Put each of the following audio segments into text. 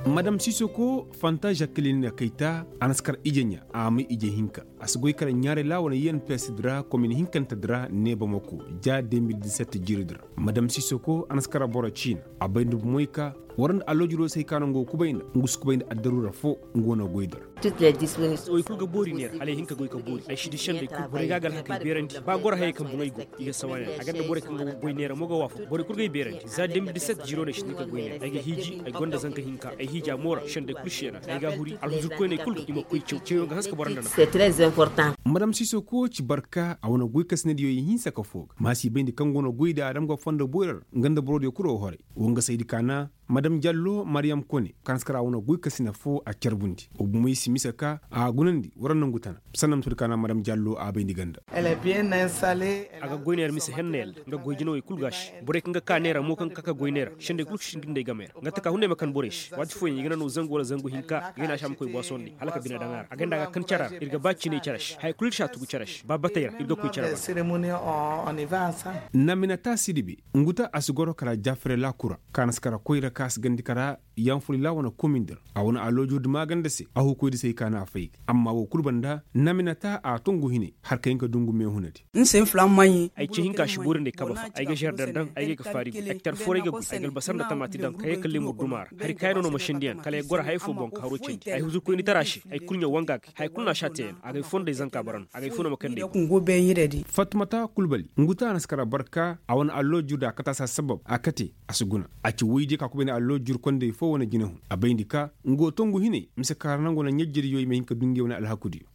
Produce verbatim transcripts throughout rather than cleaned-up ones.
Madam sisoko fanta žakilin na kayta a na si kar ije ɲa a may ije hinka. A si goy kala ɲaaray laawa na yenpes di ra komin hinkante di ra neeba mako ja de mil disette jiiri di ra. Madam sisoko a na si kar boro ciina a bay nda bumoy ka war nda alloojiroo se hay ka no nga wo kubay nda nga si kubay nda addaruura foo nga wo na goy di ra. Wey kul ga boori neera hala ay hin ka goy ka boori ay si di sendey kul borey ga a ga alhakey beerandi ba goro hayey kaŋ boŋey go. I ga sawa neera a ga nda borey kaŋ ga goy neera mo ga waafak borey kul ga ay beerandi za de mil disette jiiro no ay si di ka goy neera ay ga hiiji ay gonda zanka hinka ay hiija moora sendey kul seena ay ga a huri alhuzurkoyney kul ga i ma koy caw cawyaŋ ga hanse ka boro nda nafa. Madam sisoko ci barka a wane goy kasinadiyo i hinsa ka foo ga ma si bayndi kaŋ go no goy da adam ga fondo boyra ra nga nda borodiyo kul wo horay. Wo nga saydi kaana madam jallo mariyam kone kaŋ si kara wane goy kasina foo a carbundi wo bumey si mise ka a gunandi wara nangu tana. Sanna ma to di kaana madam jallo a bayndi ganda. A ga goy neera mise henna yalla nga goy jinawey kul ga a se borey kaŋ ga ka neera mo kaŋ ga ka ka goy neera sendey kul ga sinda nda ay gamey ra nga taka hunday ma kan borey se waati fooyaŋ i ga na no zangu wala zangu hinka ga ay na a se a ma koy boisondi hala ka bine daŋ a ra a ganda a ga kan cara ra ir ga ba ciinay cara se haya kul ir si a tugu cara se ba batey ra ir ga koy cara ra. Naminata sidibe nguta a si goro kala jafere laakura kaŋ a na si kara koyra kaŋ a si gandi kara yanfulila wane komin di ra a wane aloojo di maaganda se a hukoy di se hay ka na a fay ga amma wo kul banda naminata a tongu hine har ka hin ka dungu meehuna di. Ay ce hinka si boori nda ay kaba fa ay ga žerdan daŋ ay ga ay ga faari go ektar fooray ga goy ay ga albasar nda tamaati daŋ ka yee ka leemur duma ra hari kaayano no ma shendiyaŋ kala ay goro haya foo boŋ ka haroo candi ay huzurkoyni tara se ay kul ɲa wanga ga haya kul no a si a teeyaŋ a ga ay fondey zanka bara no a ga ay foo no ma kande ay go. Fatmata kulbali nguta a na si kara barka a wane alloojur da a kate a si a sabab a kate a si guna. A ci woydiyo ka kubay nda alloojur kondey foo wane jinahun a bayndi ka nga wo tongu hinay mise kaara nangu wane ɲajjiriyo i ma hin ka du ngey wane alhakudiyo.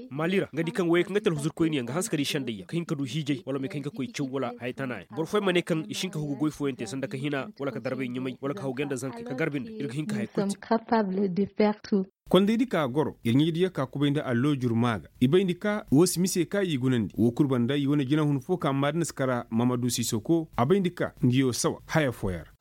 Mali ra nga di kaŋ woyey kaŋ ga te alhuzurkoyniyaŋ ga hanse ka di sendayyaŋ ka hin ka du hiijay wala ma i ka hin ka koy caw wala haya tanayaŋ boro fooyaŋ ma ne kaŋ i si hin ka hugu goy fooyaŋ te sanda ka hina wala ka darbay ɲumay wala ka haw gay nda zankey ka garbi nda ir ga hin ka haya kul te. Kondaydi ka goro ir ɲaydiyo ka kubay nda alloojur maa ga i bayndi ka woo si mise ka i gunandi woo kul banda i wane jinahun foo ka maadin si kara mamadu sisoko a bayndi ka nga yoo sawa haya fooyaŋ ra.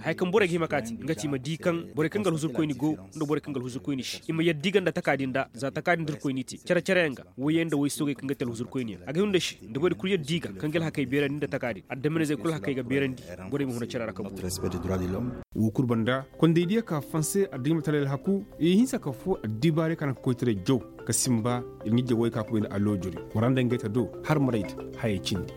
Haya kaŋ borey ga hima ka te nga ti i ma di kaŋ borey kaŋ ga alhuzurkoyni go nda borey kaŋ ga alhuzurkoyni si i ma yadda i ga nda takaadi nda za takaadi nda irkoyni te care-careyaŋ ga woyey nda woy soogey kaŋ ga te alhuzurkoyniyaŋ a ga hima nda se nda borey kul yadda i ga kaŋ ga alhakey beerandi nda takaadi addamanizey kul alhakey ga beerandi. Borey ma huna care ra ka booru. Woo kul banda kondaydiyo ka fanse addimatalay alhaku i hinsa ka foo addibaarey ka naŋ ka koytaray jaw ka sinba ir ɲijja woy ka kubay nda alloojuryo war nda ngey ta do har marayda hayey cindi.